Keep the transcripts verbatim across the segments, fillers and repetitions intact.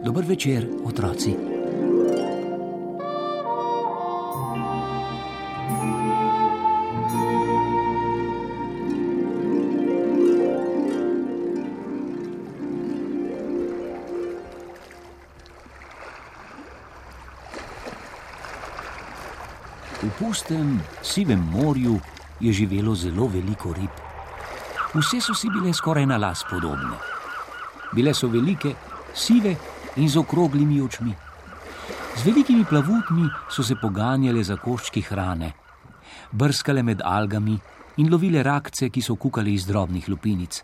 Dober večer, otroci. V pustem, sivem morju je živelo zelo veliko rib. Vse so si bile skoraj na las podobne. Bile so velike, sive in z okroglimi očmi. Z velikimi plavutmi so se poganjale za koščki hrane, brskale med algami in lovile rakce, ki so kukali iz drobnih lupinic.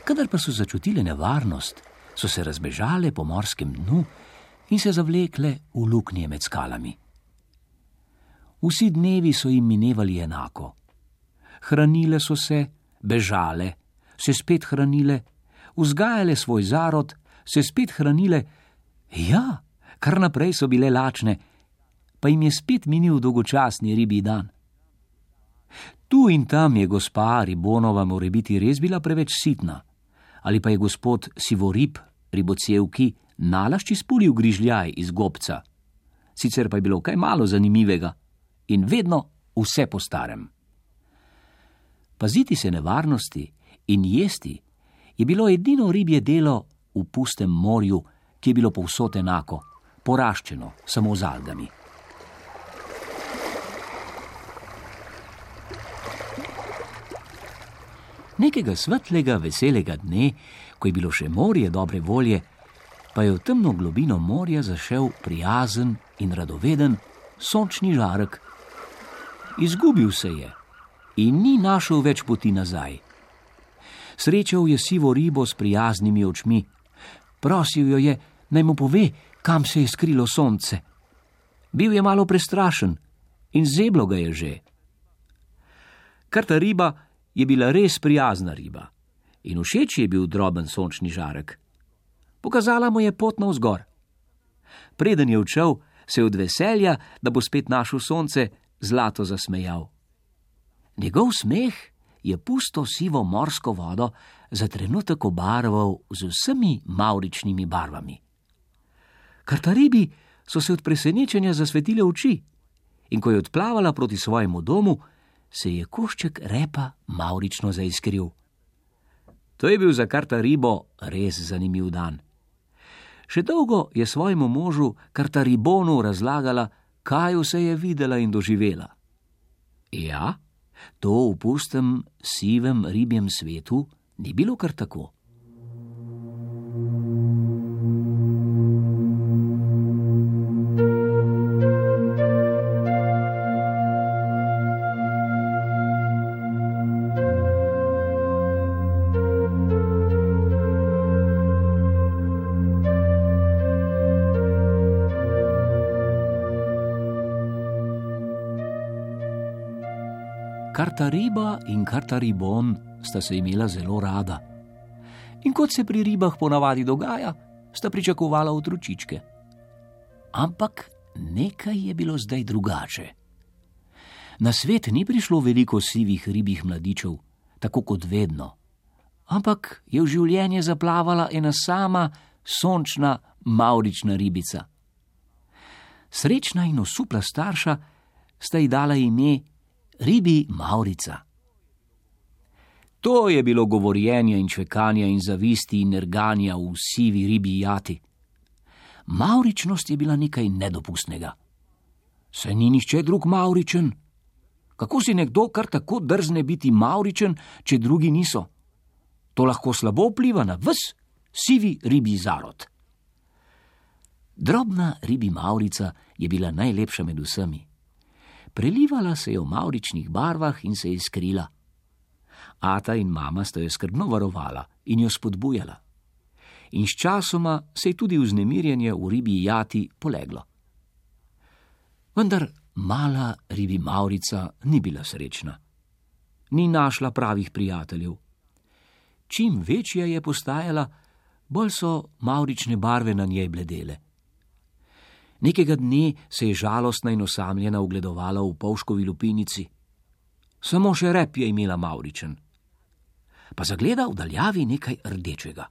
Kadar pa so začutile nevarnost, so se razbežale po morskem dnu in se zavlekle v luknje med skalami. Vsi dnevi so jim minevali enako. Hranile so se, bežale, se spet hranile, vzgajale svoj zarod, se spet hranile, ja, kar naprej so bile lačne, pa jim je spet minil dolgočasni ribji dan. Tu in tam je gospa Ribonova morebiti res bila preveč sitna, ali pa je gospod Sivorib Ribocevki nalašč izpulil grižljaj iz gobca. Sicer pa je bilo kaj malo zanimivega in vedno vse po starem. Paziti se nevarnosti in jesti je bilo edino ribje delo v pustem morju, ki je bilo povsod enako, poraščeno samo z algami. Nekega svetlega, veselega dne, ko je bilo še morje dobre volje, pa je v temno globino morja zašel prijazen in radoveden sončni žarek. Izgubil se je in ni našel več poti nazaj. Srečal je sivo ribo s prijaznimi očmi. Prosil jo je, naj mu pove, kam se je skrilo sonce. Bil je malo prestrašen in zeblo ga je že. Kar ta riba je bila res prijazna riba in všeč je bil droben sončni žarek. Pokazala mu je pot navzgor. Preden je odšel, se je od veselja, da bo spet našel sonce, zlato zasmejal. Njegov smeh je pusto sivo morsko vodo za trenutek obarval z vsemi mavričnimi barvami. Kar ta ribi so se od presenečenja zasvetile oči in ko je odplavala proti svojemu domu, se je košček repa mavrično zaiskril. To je bil za Karta ribo res zanimiv dan. Še dolgo je svojemu možu Karta ribonu razlagala, kaj vse je videla in doživela. Ja, to v pustem, sivem ribjem svetu ni bilo kar tako. Karta riba in Karta ribon sta se imela zelo rada. In kot se pri ribah ponavadi dogaja, sta pričakovala otročičke. Ampak nekaj je bilo zdaj drugače. Na svet ni prišlo veliko sivih ribjih mladičev, tako kot vedno. Ampak je v življenje zaplavala ena sama sončna mavrična ribica. Srečna in osupla starša sta ji dala ime Ribi Mavrica. To je bilo govorjenja in čvekanja in zavisti in nerganja v sivi ribji jati. Mavričnost je bila nekaj nedopustnega. Saj ni nihče drug mavričen. Kako si nekdo kar tako drzne biti mavričen, če drugi niso? To lahko slabo vpliva na ves sivi ribji zarod. Drobna ribi Mavrica je bila najlepša med vsemi. Prelivala se je v mavričnih barvah in se je skrila. Ata in mama sta jo skrbno varovala in jo spodbujala. in sčasoma se je tudi vznemirjenje v ribji jati poleglo. Vendar mala ribi Mavrica ni bila srečna. Ni našla pravih prijateljev. Čim večja je postajala, bolj so mavrične barve na njej bledele. Nekega dne se je žalostna in osamljena ugledovala v polškovi lupinici. Samo še rep je imela mavričen. Pa zagleda v daljavi nekaj rdečega.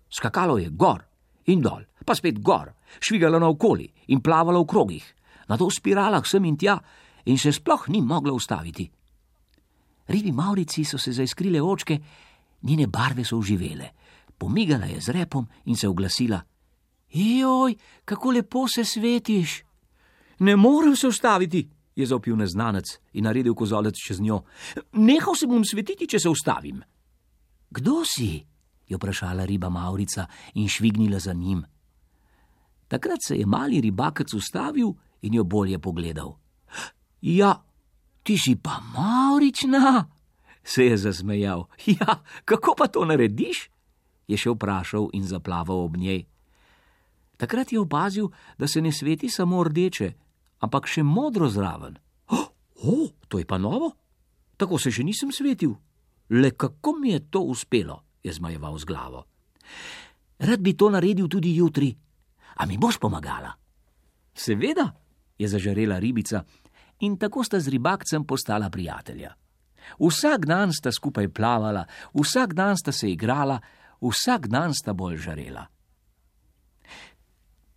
Skakalo je gor in dol, pa spet gor, švigalo naokoli in plavalo v krogih, nato v spiralah sem in tja in se sploh ni mogla ustaviti. Ribi Mavrici so se zaiskrile očke, njene barve so oživele. Pomigala je z repom in se oglasila. Joj, kako lepo se svetiš. Ne morem se ustaviti, je zavpil neznanec in naredil kozolec čez njo. Nehal se bom svetiti, če se ustavim. Kdo si? Je vprašala riba Mavrica in švignila za njim. Takrat se je mali ribakec ustavil in jo bolje pogledal. Ja, ti si pa mavrična, se je zasmejal. Ja, kako pa to narediš? Je še vprašal in zaplaval ob njej. Takrat je opazil, da se ne sveti samo rdeče, ampak še modro zraven. O, oh, to je pa novo? Tako se še nisem svetil. Le kako mi je to uspelo, je zmajeval z glavo. Rad bi to naredil tudi jutri. A mi boš pomagala? Seveda, je zažarela ribica in tako sta z ribakcem postala prijatelja. Vsak dan sta skupaj plavala, vsak dan sta se igrala, vsak dan sta bolj žarela.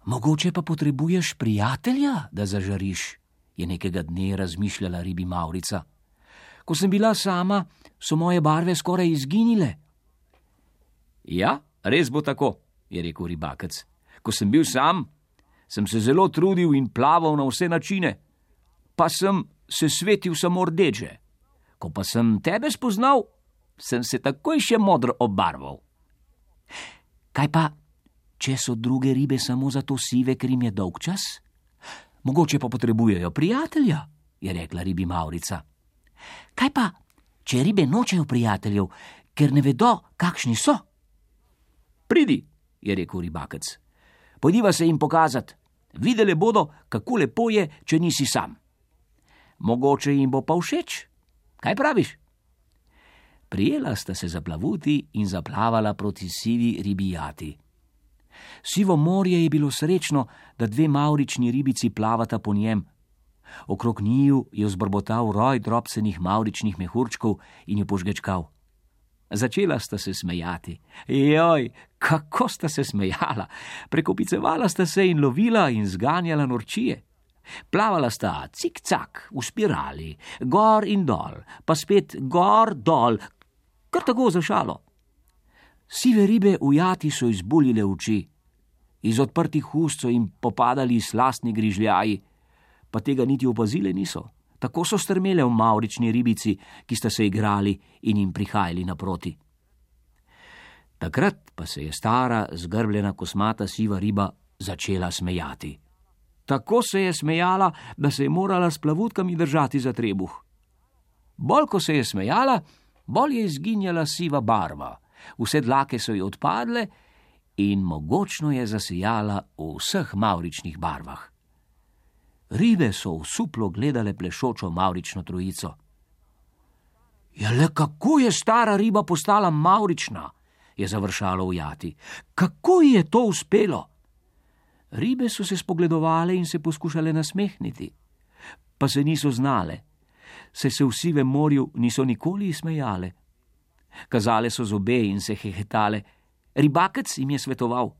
Mogoče pa potrebuješ prijatelja, da zažariš, je nekega dne razmišljala ribi Mavrica. Ko sem bila sama, so moje barve skoraj izginile. Ja, res bo tako, je rekel ribakec. Ko sem bil sam, sem se zelo trudil in plaval na vse načine, pa sem se svetil samo rdeče. Ko pa sem tebe spoznal, sem se takoj še modro obarval. Kaj pa, če so druge ribe samo zato sive, ker jim je dolgčas? Mogoče pa potrebujejo prijatelja, je rekla ribi Mavrica. Kaj pa, če ribe nočejo prijateljev, ker ne vedo, kakšni so? Pridi, je rekel ribakec. Pojdiva se jim pokazat. Videle bodo, kako lepo je, če nisi sam. Mogoče jim bo pa všeč. Kaj praviš? Prijela sta se za plavuti in zaplavala proti sivi ribi jati. Sivo morje je bilo srečno, da dve mavrični ribici plavata po njem. Okrog njiju je vzbrbotal roj drobcenih mavričnih mehurčkov in jo požgečkal. Začela sta se smejati. Joj, kako sta se smejala! Prekopicevala sta se in lovila in zganjala norčije. Plavala sta cik-cak v spirali, gor in dol, pa spet gor, dol, kar tako za šalo. Sive ribe v jati so izbuljile oči. Iz odprtih ust so jim popadali slastni grižljaji, pa tega niti opazile niso. Tako so strmele v mavrični ribici, ki sta se igrali in jim prihajali naproti. Takrat pa se je stara, zgrbljena kosmata siva riba začela smejati. Tako se je smejala, da se je morala s plavutkami držati za trebuh. Bolj ko se je smejala, bolj je izginjala siva barva. Vse dlake so ji odpadle in mogočno je zasijala v vseh mavričnih barvah. Ribe so osuplo gledale plešočo mavrično trojico. Ja, le kako je stara riba postala mavrična, je završalo v jati. Kako ji je to uspelo? Ribe so se spogledovale in se poskušale nasmehniti, pa se niso znale, saj se v sivem morju niso nikoli smejale. Kazale so zobe in se hehetale. Ribakec jim je svetoval.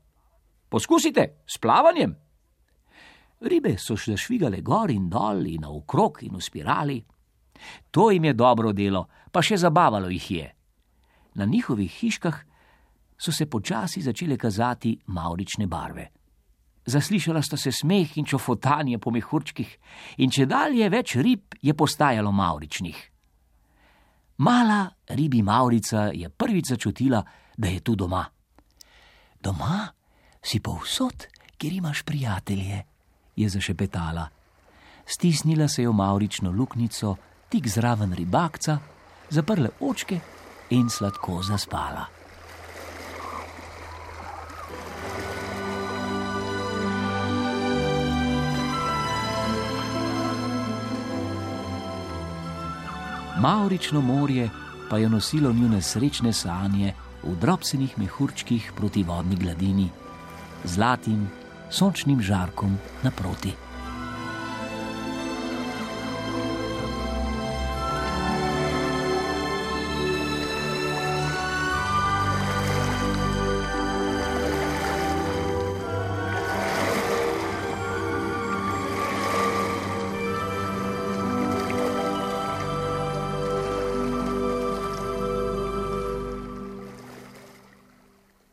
Poskusite, s plavanjem. Ribe so še švigale gor in dol in naokrog in v spirali. To jim je dobro delo, pa še zabavalo jih je. Na njihovih hiškah so se počasi začele kazati mavrične barve. Zaslišala sta se smeh in čofotanje po mehurčkih in čedalje več rib je postajalo mavričnih. Mala ribi Mavrica je prvič začutila, da je tu doma. Doma si povsod, kjer imaš prijatelje, je zašepetala. Stisnila se je v mavrično luknjico, tik zraven ribakca, zaprle očke in sladko zaspala. Mavrično morje pa je nosilo njune srečne sanje v drobcenih mehurčkih proti vodni gladini, zlatim sončnim žarkom naproti.